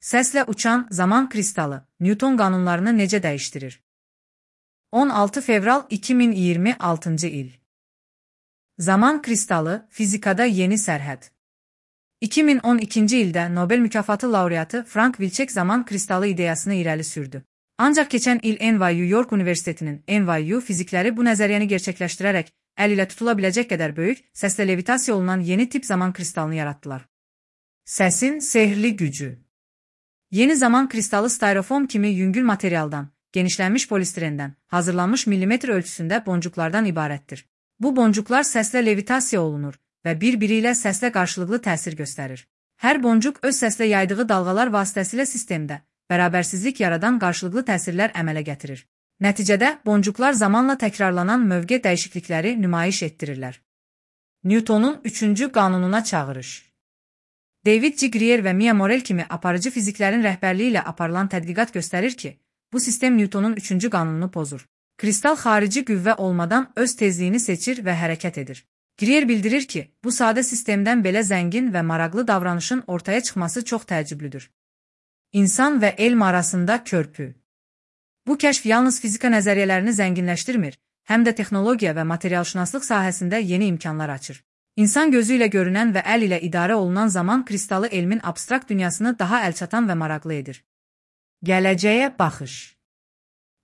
Səslə uçan zaman kristalı Newton qanunlarını necə dəyişdirir? 16 fevral 2026-cı il. Zaman kristalı fizikada yeni sərhəd. 2012-ci ildə Nobel mükafatı laureatı Frank Wilczek zaman kristalı ideyasını irəli sürdü. Ancaq keçən il NYU York Universitetinin NYU fizikləri bu nəzəriyyəni gerçəkləşdirərək əl ilə tutula biləcək qədər böyük, səslə levitasiya olunan yeni tip zaman kristalını yaratdılar. Səsin sehirli gücü. Yeni zaman kristalı styrofoam kimi yüngül materialdan, genişlənmiş polistirendən hazırlanmış millimetr ölçüsündə boncuklardan ibarətdir. Bu boncuklar səslə levitasiya olunur və bir-biri ilə səslə qarşılıqlı təsir göstərir. Hər boncuq öz səslə yaydığı dalğalar vasitəsilə sistemdə bərabərsizlik yaradan qarşılıqlı təsirlər əmələ gətirir. Nəticədə boncuklar zamanla təkrarlanan mövqe dəyişiklikləri nümayiş etdirirlər. Newtonun 3-cü qanununa çağırış. David G. Greer və Mia Morel kimi aparıcı fiziklərin rəhbərliyi ilə aparılan tədqiqat göstərir ki, bu sistem Newtonun 3-cü qanununu pozur. Kristal xarici qüvvə olmadan öz tezliyini seçir və hərəkət edir. Greer bildirir ki, bu sadə sistemdən belə zəngin və maraqlı davranışın ortaya çıxması çox təəccüblüdür. İnsan və elm arasında körpü. Bu kəşf yalnız fizika nəzəriyyələrini zənginləşdirmir, həm də texnologiya və materialşünaslıq sahəsində yeni imkanlar açır. İnsan gözü ilə görünən və əl ilə idarə olunan zaman kristalı elmin abstrakt dünyasını daha əlçatan və maraqlı edir. Gələcəyə baxış.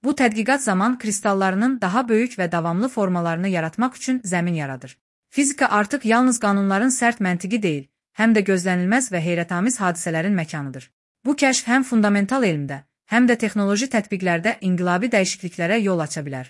Bu tədqiqat zaman kristallarının daha böyük və davamlı formalarını yaratmaq üçün zəmin yaradır. Fizika artıq yalnız qanunların sərt məntiqi deyil, həm də gözlənilməz və heyrətamiz hadisələrin məkanıdır. Bu kəşf həm fundamental elmdə, həm də texnoloji tətbiqlərdə inqilabi dəyişikliklərə yol aça bilər.